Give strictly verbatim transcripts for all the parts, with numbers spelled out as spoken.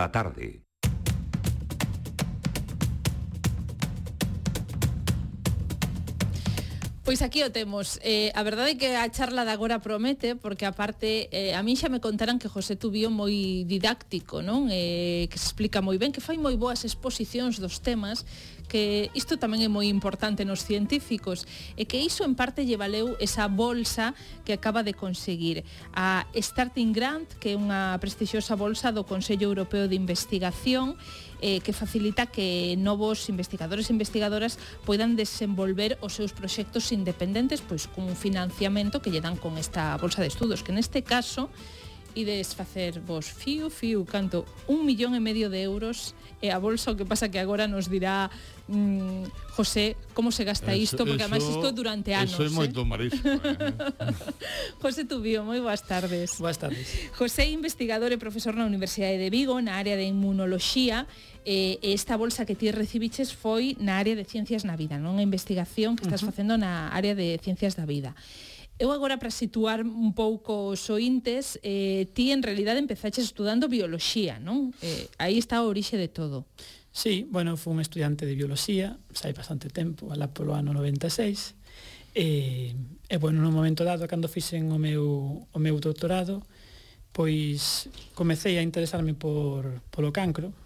A tarde. Pois aquí o temos. Eh, a verdade é que a charla de agora promete, porque aparte eh, a min xa me contaran que José Tubío moi didáctico, non? Eh, que se explica moi ben, que fai moi boas exposicións dos temas, que isto tamén é moi importante nos científicos, e que iso en parte lle valeu esa bolsa que acaba de conseguir a Starting Grant, que é unha prestixiosa bolsa do Consello Europeo de Investigación, eh, que facilita que novos investigadores e investigadoras poidan desenvolver os seus proxectos independentes pois con un financiamento que lle dan con esta bolsa de estudos, que neste caso ides facer vos fiu, fiu, canto un millón e medio de euros e a bolsa, o que pasa que agora nos dirá mmm, José como se gasta eso, isto, porque eso, además isto durante anos. Eso é moito eh? marisco. Eh? José Tubío, moi boas tardes. Boas tardes. José é investigador e profesor na Universidade de Vigo na área de inmunoloxía, e esta bolsa que ti recibiches foi na área de ciencias na vida, non? A investigación que estás uh-huh. facendo na área de ciencias da vida. Eu agora, para situar un pouco os ointes, eh, ti en realidade empezaches estudando bioloxía, non? Eh, aí está a orixe de todo. Sí, bueno, fui un estudiante de bioloxía, sai bastante tempo, alá polo ano noventa e seis, e, e bueno, no momento dado, cando fixen o meu, o meu doutorado, pois comecei a interesarme por, polo cancro.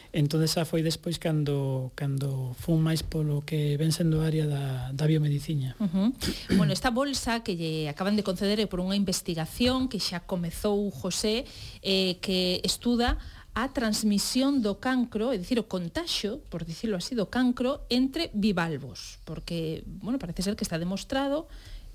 Entón xa foi despois cando cando fun máis polo que ven sendo a área da, da biomedicina. Uh-huh. Bueno, esta bolsa que lle acaban de conceder é por unha investigación que xa comezou José, eh, que estuda a transmisión do cancro, é dicir, o contaxio, por dicirlo así, do cancro entre bivalvos, porque, bueno, parece ser que está demostrado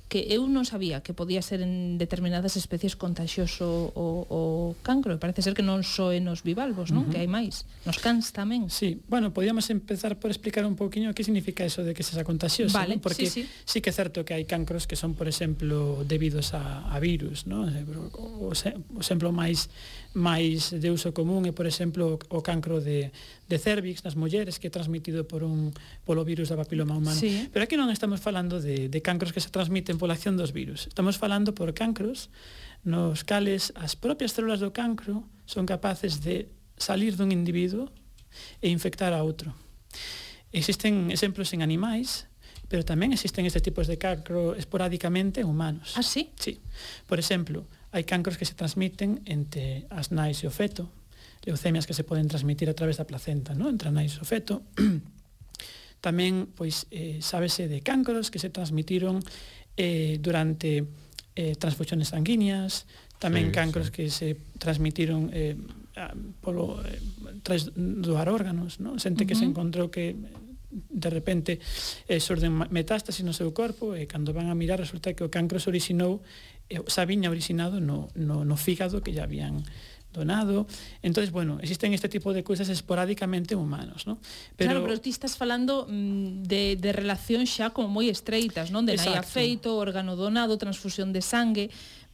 que eu non sabía que podía ser en determinadas especies contagioso o, o cancro, e parece ser que non só é nos bivalvos, non? Uh-huh. Que hai máis. Nos cans tamén. Sí, bueno, podíamos empezar por explicar un pouquiño que significa eso de que sexa contagioso, vale, ¿no? Porque sí, sí. sí que é certo que hai cancros que son, por exemplo, debidos a, a virus, ¿no? O, o, o exemplo máis máis de uso común é, por exemplo, o cancro de, de cervix nas mulleres, que é transmitido por un polo virus da papiloma humano. Sí. Pero aquí non estamos falando de, de cancros que se transmiten pola acción dos virus. Estamos falando por cancros nos cales as propias células do cancro son capaces de salir dun individuo e infectar a outro. Existen exemplos en animais, pero tamén existen estes tipos de cancro esporádicamente en humanos. Ah, sí? Sí. Por exemplo, hai cancros que se transmiten entre as nais e o feto, leucemias que se poden transmitir a través da placenta, ¿no? Entre a nais e o feto. Tamén, pois, eh, sábese de cancros que se transmitiron eh, durante eh, transfusiones sanguíneas, tamén sí, cancros sí. que se transmitiron eh, polo eh, tras doar órganos, ¿no? Xente uh-huh. que se encontrou que de repente eh, xorden metástasis no seu corpo e cando van a mirar resulta que o cancro se orixinou, eh, xa viña originado no, no, no fígado que ya habían donado. Entonces, bueno, existen este tipo de cousas esporádicamente humanos, ¿no? Pero, claro, pero ti estás falando mm, de, de relacións xa como moi estreitas, non? De nai afeito, órgano donado, transfusión de sangue,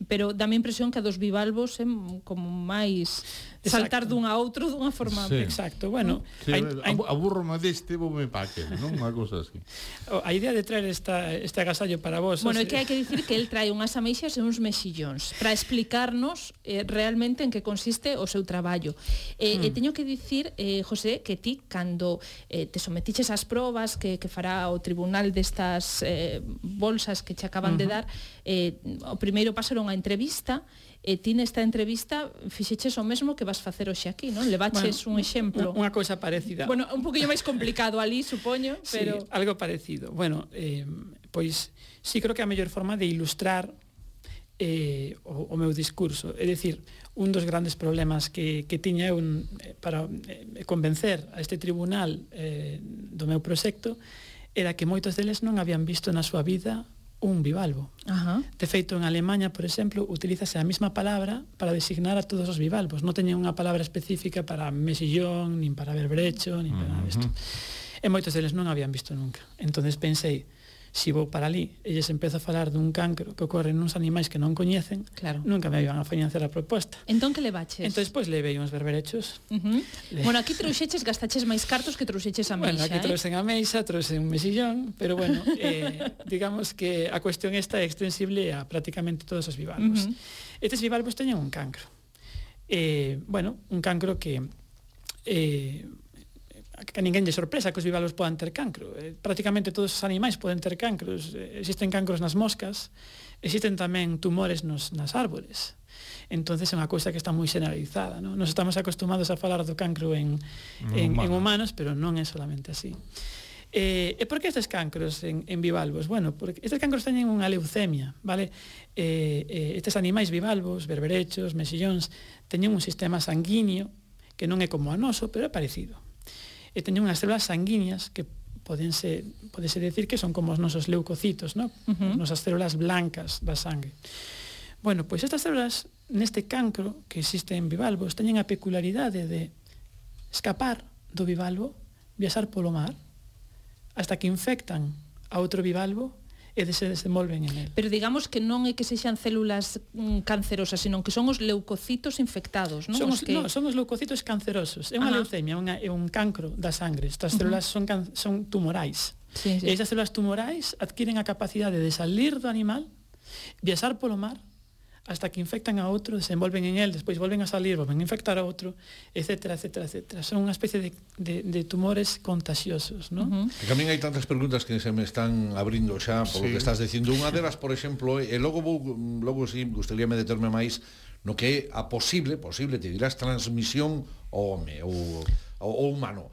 pero dá-me a impresión que a dos bivalvos é como máis saltar dun a outro dunha forma. Sí. Exacto, bueno, sí, hai, hai... aburrome deste, vou me paque, non? Unha cousa así. A idea de traer esta, este agasallo para vos... Bueno, é que hai que dicir que el trae unhas ameixas e uns mexillóns para explicarnos eh, realmente en que consiste o seu traballo. Eh, hmm. E teño que dicir, eh, José, que ti, cando eh, te sometiches ás probas que, que fará o tribunal destas eh, bolsas que te acaban uh-huh. de dar, eh, o primeiro paso era unha entrevista, e ti nesta entrevista fixeches o mesmo que vas facer hoxe aquí, non? Levaches bueno, un exemplo. Unha cousa parecida. Bueno, un poquinho máis complicado ali, supoño, pero... Sí, algo parecido. Bueno, eh, pois, sí creo que a mellor forma de ilustrar eh, o, o meu discurso. É dicir, un dos grandes problemas que, que tiña eu eh, para eh, convencer a este tribunal eh, do meu proxecto era que moitos deles non habían visto na súa vida un bivalvo. Ajá. De feito, en Alemanha, por exemplo, utilízase a mesma palabra para designar a todos os bivalvos. Non teñen unha palabra específica para mexillón, nin para berbrecho, nin para nada disto. E moitos deles non habían visto nunca. Entonces pensei, si vou para ali e lles empezo a falar dun cancro que ocorre nuns animais que non coñecen, claro. nunca me iban a financiar a proposta. Entón que levaches? Entón, pois, levei uns berberechos. Uh-huh. Le... Bueno, aquí trouxeches, gastaches máis cartos que trouxeches a meixa, bueno, aquí eh? trouxen a meixa, trouxen un mesillón, pero bueno, eh, digamos que a cuestión esta é extensible a prácticamente todos os bivalvos. Uh-huh. Estes bivalvos teñen un cancro. eh, bueno, un cancro que eh, que a ninguén lle sorpresa que os bivalvos podan ter cancro. Eh, prácticamente todos os animais poden ter cancros. Eh, existen cancros nas moscas, existen tamén tumores nos, nas árbores. Entonces é unha cousa que está moi generalizada, ¿no? Nos estamos acostumados a falar do cancro en, en, en humanos, pero non é solamente así. Eh, e por que estes cancros en, en bivalvos? Bueno, porque estes cancros teñen unha leucemia, vale? Eh, eh, estes animais bivalvos, berberechos, mexillóns, teñen un sistema sanguíneo que non é como a noso, pero é parecido. E teñen unhas células sanguíneas que podense, podese decir que son como os nosos leucocitos, ¿no? Uh-huh. As nosas células blancas da sangue. Bueno, pois estas células neste cancro que existe en bivalvos teñen a peculiaridade de escapar do bivalvo, viaxar polo mar, hasta que infectan a outro bivalvo e se desenvolven en él. Pero digamos que non é que sexan células mm, cancerosas, sino que son os leucocitos infectados, non? Son os, os que... no, son os leucocitos cancerosos. É unha Ajá. leucemia, unha, é un cancro da sangre. Estas células uh-huh. son, can, son tumorais. Sí, sí. E esas células tumorais adquiren a capacidade de salir do animal, viaxar polo mar, hasta que infectan a outro, desenvolven en él, despois volven a salir, volven a infectar a outro, etcétera, etcétera, etcétera. Son unha especie de, de, de tumores contagiosos, ¿no? Uh-huh. E tamén hai tantas preguntas que se me están abrindo xa por sí. lo que estás dicindo. Unha delas, por exemplo, e logo vou, logo si sí, gustaríame determe máis no que é a posible, posible, te dirás, transmisión ao home, ou ao humano.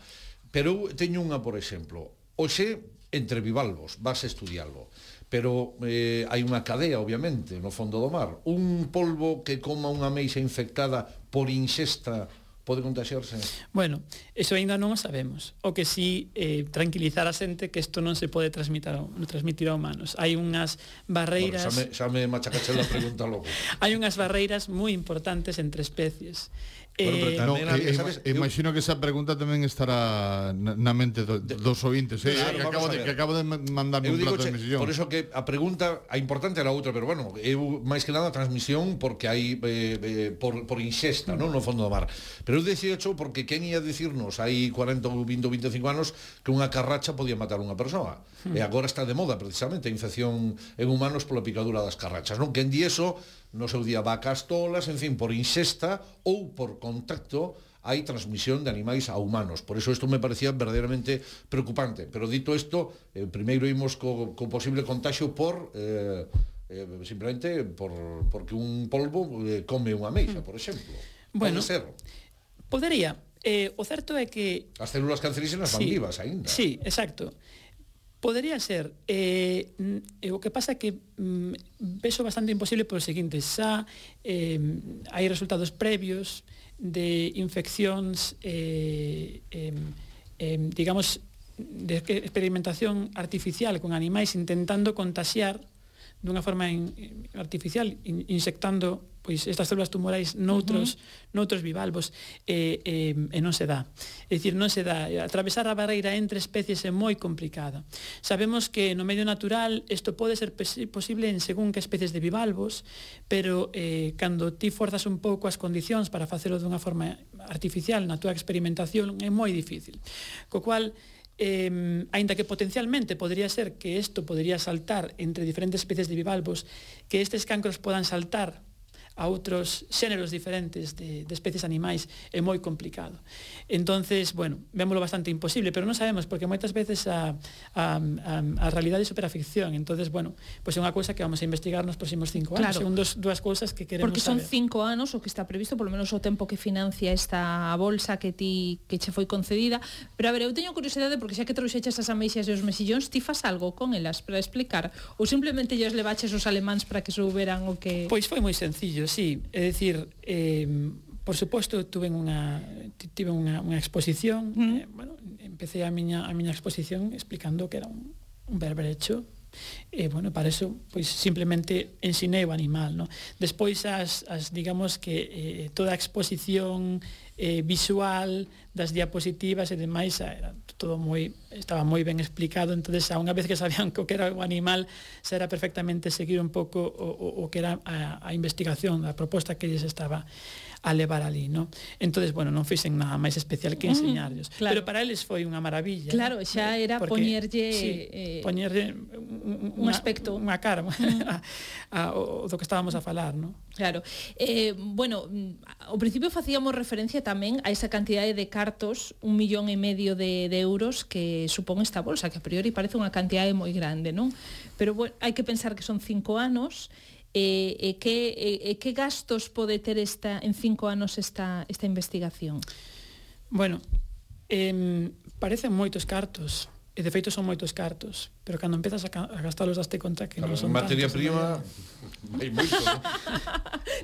Pero eu teño unha, por exemplo, hoxe, entre bivalvos, vas a estudiarlo, pero eh, hai unha cadea, obviamente, no fondo do mar. Un polvo que coma unha ameixa infectada por inxesta pode contagiarse? Bueno, eso ainda non o sabemos. O que sí, eh, tranquilizar a xente que isto non se pode transmitir a, transmitir a humanos. Hai unhas barreiras... Bueno, xa me, xa me machacache la pregunta logo. Hai unhas barreiras moi importantes entre especies. Bueno, pero eh, tamén no, había, sabes, eh, imagino que esa pregunta tamén estará na, na mente do, dos ointes, eh, claro, que, acabo de, que acabo de mandarme un plato de mexillón. Por eso que a pregunta, a importante era outra, pero bueno, eu máis que nada a transmisión porque hai eh, eh, por, por inxesta, mm. non no fondo do mar. Pero eu dixecho porque quen ia dicirnos hai cuarenta ou vinte ou vinte e cinco anos que unha carracha podía matar unha persoa. Mm. E agora está de moda precisamente a infección en humanos pola picadura das carrachas, non? Quen di eso no seu día vacas tolas, en fin, por inxesta ou por contacto hai transmisión de animais a humanos. Por eso isto me parecía verdadeiramente preocupante. Pero dito isto, eh, primeiro imos co, co posible contagio por eh, eh, simplemente por, porque un polvo eh, come unha ameixa, por exemplo. Bueno, pode ser. Podería. Eh, o certo é que... As células cancerígenas van sí, vivas aínda. Sí, exacto. Podería ser. Eh, eh, o que pasa é que mm, vexo bastante imposible polo seguinte, xa eh, hai resultados previos de infeccións eh, eh, eh, digamos de experimentación artificial con animais intentando contaxiar dunha forma in, artificial, in, insectando pois estas células tumorais noutros, uh-huh. noutros bivalvos e, e, e non se dá. É dicir, non se dá. Atravesar a barreira entre especies é moi complicada. Sabemos que no medio natural isto pode ser posible en según que especies de bivalvos, pero eh, cando ti forzas un pouco as condicións para facelo dunha forma artificial na túa experimentación é moi difícil. Co cual, Eh, aínda que potencialmente podría ser que isto podría saltar entre diferentes especies de bivalvos, que estes cancros podan saltar a outros xéneros diferentes de, de especies animais é moi complicado. Entonces, bueno, vémolo bastante imposible, pero non sabemos, porque moitas veces a, a, a, a realidade é superaficción. Entonces, bueno, pois pues é unha cousa que vamos a investigar nos próximos cinco anos. Claro. Son dos, dúas cousas que queremos porque son saber. cinco anos o que está previsto, polo menos o tempo que financia esta bolsa que ti que che foi concedida. Pero a ver, eu teño curiosidade porque xa que trouxeches as ameixas e os mexillóns, ti fas algo con elas para explicar? Ou simplemente lles levaches os alemáns para que souberan o que... Pois foi moi sencillo, sí. É dicir, eh, por suposto, tuve unha tive unha, unha exposición, mm. eh, bueno, empecé a miña a miña exposición explicando que era un, un berberecho. E, bueno, para eso, pois, simplemente ensinei o animal, no? Despois, as, as digamos que eh, toda a exposición eh, visual das diapositivas e demais era todo moi, estaba moi ben explicado, entonces a unha vez que sabían que o que era o animal, xa era perfectamente seguir un pouco o, o, o que era a, a investigación, a proposta que lles estaba a levar ali, no? Entonces, bueno, non fixen nada máis especial que enseñarlos. Mm, claro. Pero para eles foi unha maravilla. Claro, xa era porque, poñerlle sí, eh, poñerlle un, un aspecto, unha cara a, a, o do que estábamos a falar, no? Claro. Eh, bueno, ao principio facíamos referencia tamén a esa cantidade de cartos, un millón e medio de, de euros que supón esta bolsa, que a priori parece unha cantidade moi grande, non? Pero bueno, hai que pensar que son cinco anos. E, e, que, e, e que gastos pode ter esta en cinco anos esta, esta investigación? Bueno, eh, parecen moitos cartos, e de feito son moitos cartos, pero cando empezas a, a gastalos daste conta que non son materia tantos, prima hai moito, non?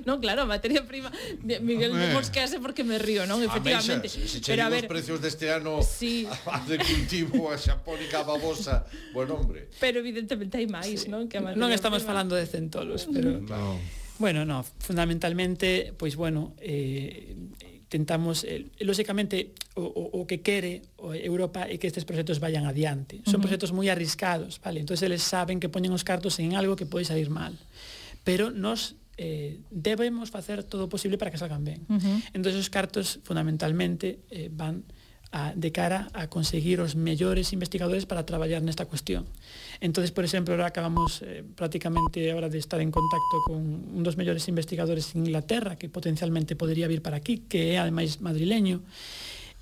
Non, claro, materia prima Miguel Hombre. mosquease porque me río, non? Efectivamente. Se, se che Pero a digo ver, os precios deste ano sí. a de cultivo, a xapónica, a babosa, bueno, hombre. Pero evidentemente hai máis, Sí. non? Que a materia Non estamos prima. falando de centolos, pero No. bueno, no, fundamentalmente, pois bueno, eh, tentamos, eh, lógicamente, o, o, o que quere o Europa é que estes proxectos vayan adiante. Son Uh-huh. proxectos moi arriscados, vale? Entonces eles saben que poñen os cartos en algo que pode salir mal. Pero nos eh, debemos facer todo o posible para que salgan ben. Uh-huh. Entonces os cartos, fundamentalmente, eh, van a, de cara a conseguir os mellores investigadores para traballar nesta cuestión. Entonces, por exemplo, ahora acabamos eh, prácticamente ahora de estar en contacto con un dos mellores investigadores en Inglaterra que potencialmente podría vir para aquí, que é ademais madrileño.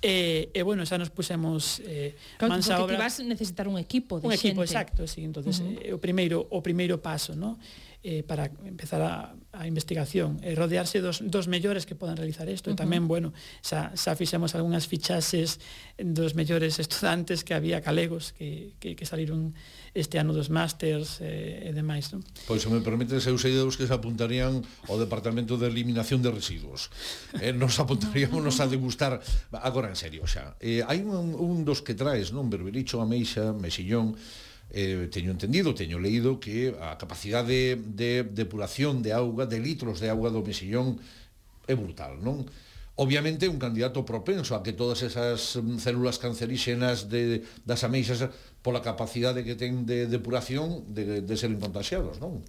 E, e bueno, xa nos pusemos eh, Claro, mans a porque obra. ti vas necesitar un equipo de Un equipo, xente. exacto, sí. Entonces, Uh-huh. eh, o primeiro o primeiro paso, ¿no? Eh, para empezar a, a investigación, eh, rodearse dos, dos mellores que podan realizar isto. Uh-huh. E tamén, bueno, xa, xa fixemos algunhas fichaxes dos mellores estudantes que había galegos que, que, que saliron este ano dos másters eh, e demais, non? Pois, se me permites, eu sei dos que se apuntarían ao Departamento de Eliminación de Residuos. Eh, nos apuntaríamos a degustar, agora en serio xa. Eh, hai un, un dos que traes, non? Berbericho, ameixa, mexillón. Eh, teño entendido, teño leído que a capacidade de depuración de auga, de litros de auga do mexillón é brutal, non? Obviamente un candidato propenso a que todas esas mm, células canceríxenas de, das ameixas pola capacidade que ten de depuración de, de ser contagiados, non?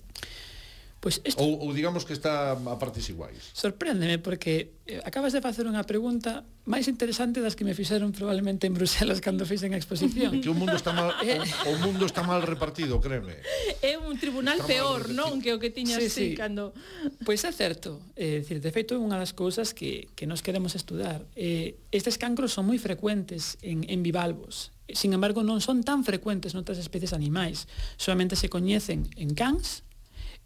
Pois isto Ou, ou digamos que está a partes iguais. sorpréndeme porque eh, acabas de facer unha pregunta máis interesante das que me fixeron probablemente en Bruselas cando fixen a exposición. Que o mundo está mal, o, o mundo está mal repartido, créeme. É un tribunal Está peor, mal non? Que o que tiñas Sí, sí, sí. cando... Pois é certo, é dicir, de feito é unha das cousas que, que nos queremos estudar. Eh, estes cancros son moi frecuentes en, en bivalvos, sin embargo non son tan frecuentes noutras especies animais, solamente se coñecen en cans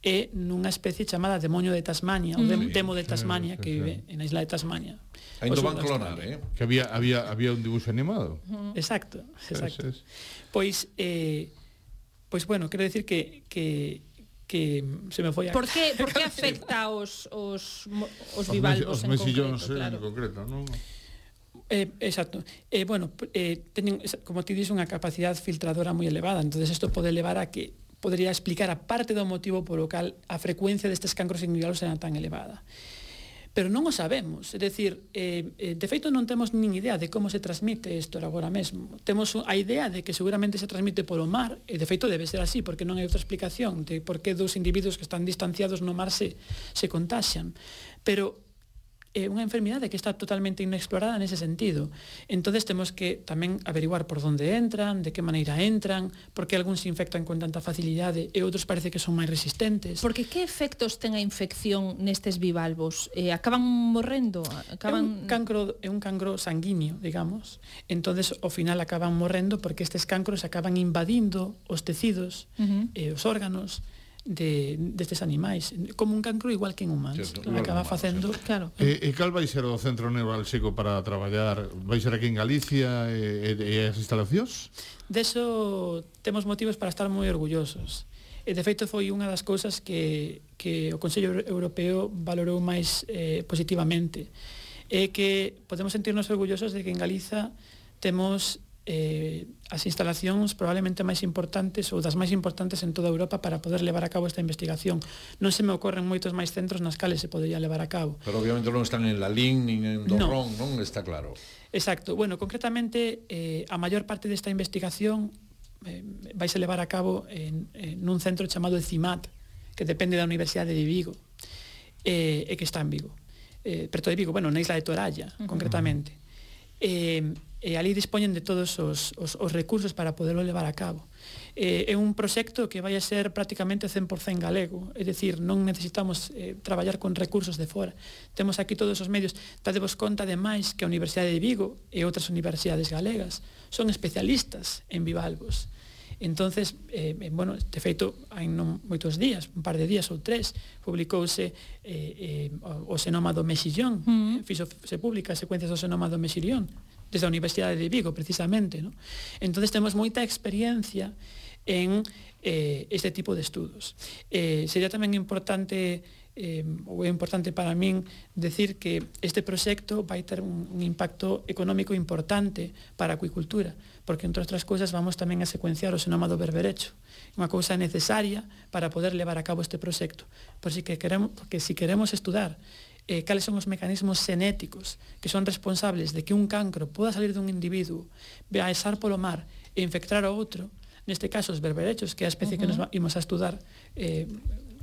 e nunha especie chamada demonio de Tasmania, mm. ou dem, demo de Tasmania, Sí, sí, que sí. vive en a isla de Tasmania. Ainda Ao sur van de clonar, Australia. eh? Que había, había, había un dibuixo animado. Exacto, exacto. Sí, sí. Pois, eh, pois bueno, quero decir que, que, que se me foi a... Por que, por que afecta os, os, mo- os Os bivalvos mes- os en mexillóns, concreto? eh, Claro. en concreto, non? Eh, exacto. Eh, bueno, eh, teñen, como ti dis, unha capacidade filtradora moi elevada, entonces isto pode levar a que podría explicar a parte do motivo polo cal a frecuencia destes cancros en bivalvos era tan elevada. Pero non o sabemos, é dicir, eh, eh, de feito non temos nin idea de como se transmite isto agora mesmo. Temos a idea de que seguramente se transmite polo mar, e de feito debe ser así, porque non hai outra explicación de por que dos individuos que están distanciados no mar se, se contaxian. Pero é unha enfermidade que está totalmente inexplorada nese sentido. Entonces temos que tamén averiguar por onde entran, de que maneira entran, por que algúns se infectan con tanta facilidade e outros parece que son máis resistentes. Porque que efectos ten a infección nestes bivalvos? Eh, acaban morrendo? É Acaban... un cancro, é un cancro sanguíneo, digamos. Entonces, ao final acaban morrendo porque estes cancros acaban invadindo os tecidos Uh-huh. e os órganos de destes animais, como un cancro igual que en humanos. Certo, igual Acaba que en humanos, facendo, Claro. E, e cal vai ser o centro neurálxico para traballar? Vai ser aquí en Galicia e, e, e as instalacións? deso temos motivos para estar moi orgullosos. E de feito foi unha das cousas que, que o Consello Europeo valorou máis eh, positivamente. É que podemos sentirnos orgullosos de que en Galiza temos eh, as instalacións probablemente máis importantes ou das máis importantes en toda Europa para poder levar a cabo esta investigación. Non se me ocorren moitos máis centros nas cales se podería levar a cabo. Pero obviamente non están en Lalín nin en Dorrón, non? Está claro. Exacto. Bueno, concretamente, eh, a maior parte desta investigación eh, vais a levar a cabo en, en un centro chamado CIMAT, que depende da Universidade de Vigo, eh, e que está en Vigo. eh, preto de Vigo, bueno, na isla de Toralla, uh-huh. concretamente. E, e ali dispoñen de todos os, os, os recursos para poderlo levar a cabo. Eh, é un proxecto que vai a ser prácticamente cen por cen galego, é dicir, non necesitamos eh, traballar con recursos de fora. Temos aquí todos os medios. Tadevos conta, ademais, que a Universidade de Vigo e outras universidades galegas son especialistas en bivalvos. Entonces, eh, bueno, de feito, hai non moitos días, un par de días ou tres, publicouse eh, eh, o xenoma do mexillón, mm. fixo, se publica as secuencias do xenoma do mexillón, desde a Universidade de Vigo, precisamente, ¿no? Entonces temos moita experiencia en eh, este tipo de estudos. Eh, sería tamén importante, eh, ou é importante para min, decir que este proxecto vai ter un, un impacto económico importante para a acuicultura, porque, entre outras cousas, vamos tamén a secuenciar o xenoma do berberecho, unha cousa necesaria para poder levar a cabo este proxecto. Por si que queremos, porque si queremos estudar Eh, cales son os mecanismos xenéticos que son responsables de que un cancro poda salir dun individuo, viaxar polo mar e infectar ao outro, neste caso os berberechos, que é a especie uh-huh. que nos imos a estudar eh,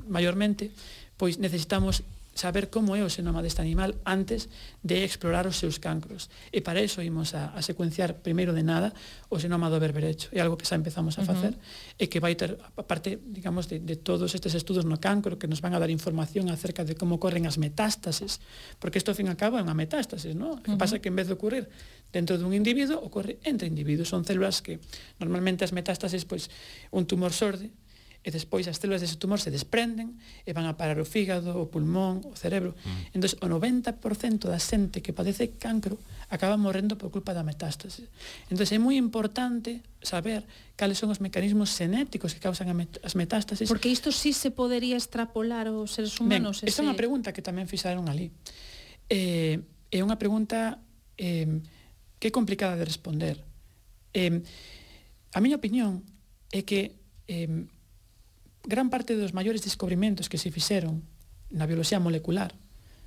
maiormente, pois necesitamos saber como é o xenoma deste animal antes de explorar os seus cancros. E para iso imos a, a secuenciar primeiro de nada o xenoma do berberecho. É algo que xa empezamos a facer uh-huh. e que vai ter, aparte, digamos, de, de todos estes estudos no cancro que nos van a dar información acerca de como ocorren as metástases, porque isto, ao fin e ao cabo, é unha metástase, ¿no? Uh-huh. Que pasa que en vez de ocurrir dentro dun individuo, ocorre entre individuos. Son células que, normalmente, as metástases, pois, un tumor xorde, e despois as células dese tumor se desprenden e van a parar o fígado, o pulmón, o cerebro. Mm. Entón, o noventa por cento da xente que padece cancro acaba morrendo por culpa da metástase. Entón, é moi importante saber cales son os mecanismos xenéticos que causan as metástases. Porque isto sí se podería extrapolar aos seres humanos. Ben, esta é unha pregunta que tamén fixaron ali. Eh, é unha pregunta eh, que é complicada de responder. Eh, a miña opinión é que eh, gran parte dos maiores descubrimentos que se fixeron na bioloxía molecular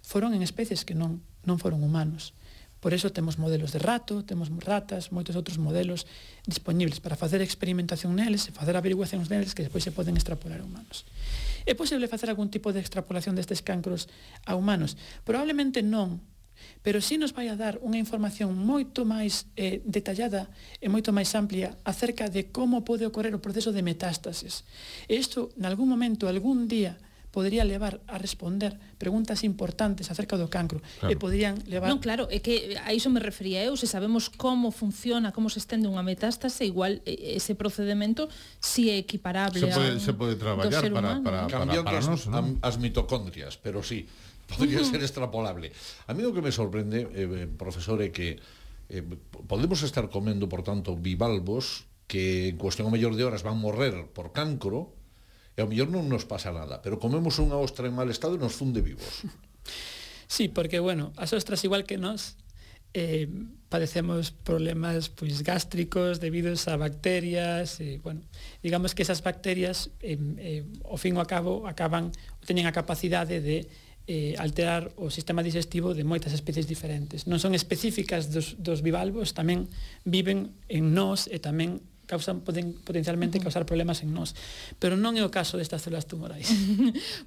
foron en especies que non, non foron humanos. Por eso temos modelos de rato, temos ratas, moitos outros modelos disponibles para facer experimentación neles e facer averiguacións neles que despois se poden extrapolar a humanos. É posible facer algún tipo de extrapolación destes cancros a humanos? Probablemente non, pero sí nos vai a dar unha información moito máis eh, detallada e moito máis amplia acerca de como pode ocorrer o proceso de metástasis. E isto, en algún momento, algún día, podría levar a responder preguntas importantes acerca do cancro. Claro. E podrían levar... Non, claro, é que a iso me refería eu, se sabemos como funciona, como se estende unha metástase, igual ese procedimento si é equiparable se pode, a un, se pode traballar para, para, para, cambiando para, para as, nos, ¿no? as mitocondrias, pero sí, podría uh-huh. ser extrapolable. A mí o que me sorprende, eh, profesor, é que eh, podemos estar comendo, por tanto, bivalvos que en cuestión a mellor de horas van morrer por cancro, e ao mellor non nos pasa nada, pero comemos unha ostra en mal estado e nos funde vivos. Sí, porque, bueno, as ostras, igual que nós, eh, padecemos problemas pois gástricos debidos a bacterias, e, bueno, digamos que esas bacterias, eh, eh, ao fin e ao cabo, acaban, teñen a capacidade de eh, alterar o sistema digestivo de moitas especies diferentes. Non son específicas dos, dos bivalvos, tamén viven en nós e tamén causan, poden potencialmente causar problemas en nós, pero non é o caso destas células tumorais.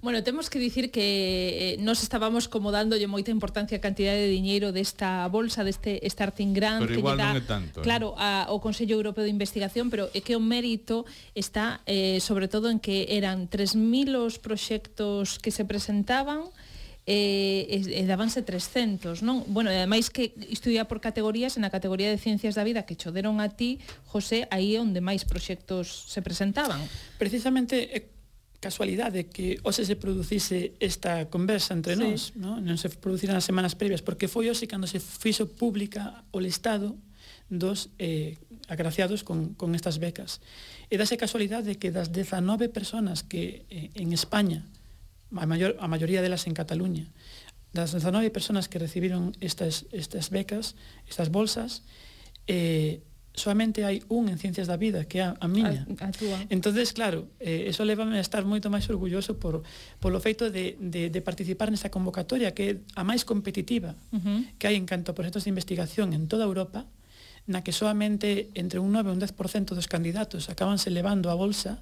Bueno, temos que dicir que eh, nos estábamos como dándolle moita importancia a cantidade de diñeiro desta bolsa, deste starting grant, pero que igual lle dá, non é tanto, claro, a, ao Consello Europeo de Investigación, pero é que o mérito está eh, sobre todo en que eran tres mil os proxectos que se presentaban, e, e, e dábanse trescentos, non? Bueno, e ademais que isto ia por categorías, en a categoría de Ciencias da Vida que cho deron a ti, José, aí é onde máis proxectos se presentaban. Precisamente é casualidade que hoxe se producise esta conversa entre sí. nós, non? Non se produciran as semanas previas, porque foi hoxe cando se fixo pública o listado dos eh, agraciados con, con estas becas. E dase casualidade que das dezanove personas que eh, en España, a, maior, a maioría delas en Cataluña, das dezanove personas que recibiron estas, estas becas, estas bolsas, eh, solamente hai un en Ciencias da Vida, que é a, a miña. A, a túa. Entonces, claro, eh, eso levame a estar moito máis orgulloso por, por o feito de, de, de participar nesta convocatoria, que é a máis competitiva uh-huh. que hai en canto a proxectos de investigación en toda Europa, na que solamente entre un nove e un dez por cento dos candidatos acábanse levando a bolsa.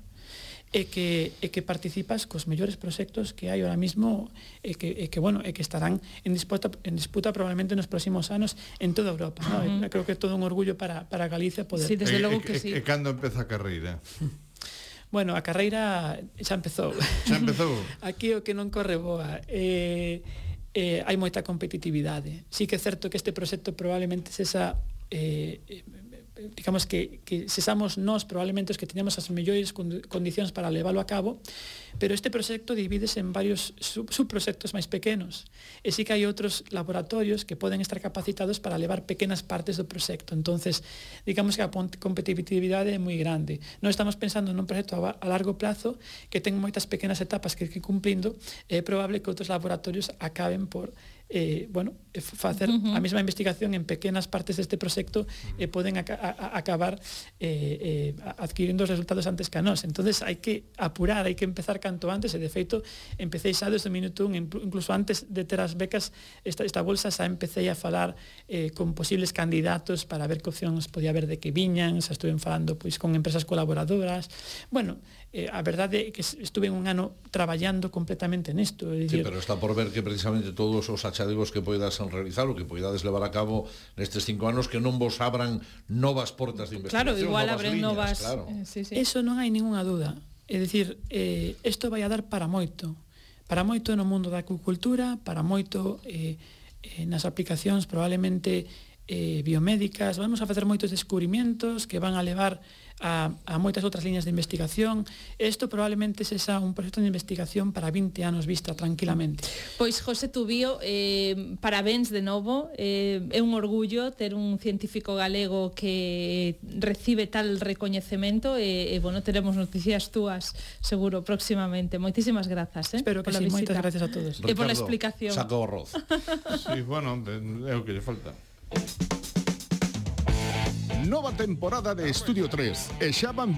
e que, e que participas cos mellores proxectos que hai ahora mismo e que, e que, bueno, e que estarán en disputa, en disputa probablemente nos próximos anos en toda Europa, ¿no? Uh-huh. Creo que é todo un orgullo para, para Galicia poder... Sí, desde e, logo e, que sí. E cando empeza a carreira? Bueno, a carreira xa empezou. Xa empezou? Aquí o que non corre boa. Eh, eh, hai moita competitividade. Sí que é certo que este proxecto probablemente sexa... Eh, digamos que, que sesamos nós probablemente os que teñamos as mellores condicións para leválo a cabo, pero este proxecto divídese en varios sub subproxectos máis pequenos, e sí que hai outros laboratorios que poden estar capacitados para levar pequenas partes do proxecto. Entonces, digamos que a competitividade é moi grande. Non estamos pensando nun proxecto a largo plazo que ten moitas pequenas etapas que ir cumplindo, é probable que outros laboratorios acaben por eh, bueno, facer uh-huh. a mesma investigación en pequenas partes deste proxecto e eh, poden a, a, a acabar eh, eh, adquirindo os resultados antes que a nós. Entonces hai que apurar, hai que empezar canto antes, e de feito empecé xa desde o minuto un, incluso antes de ter as becas, esta, esta bolsa xa empecé a falar eh, con posibles candidatos para ver que opcións podía haber de que viñan, xa estuve falando pois con empresas colaboradoras. Bueno, eh, a verdade é que estuve un ano traballando completamente nisto. Sí, pero está por ver que precisamente todos os achadegos que poidas realizar, o que poidades levar a cabo nestes cinco anos, que non vos abran novas portas de investigación. Claro, igual novas abren líneas, novas... claro. Eh, sí, sí. Eso non hai ninguna duda. É dicir, eh, isto vai a dar para moito. Para moito no mundo da acuicultura, para moito eh, eh, nas aplicacións probablemente eh, biomédicas. Vamos a facer moitos descubrimientos que van a levar a, a moitas outras liñas de investigación. Isto probablemente sexa un proxecto de investigación para vinte anos vista tranquilamente. Pois, José Tubío, eh, parabéns de novo. Eh, é un orgullo ter un científico galego que recibe tal recoñecemento e, e bueno, teremos noticias túas seguro próximamente. Moitísimas grazas, eh? Espero que sí, moitas gracias a todos. E pola explicación. Saca o arroz. Sí, bueno, é o que lle falta. Nova temporada de Estudio tres e xa van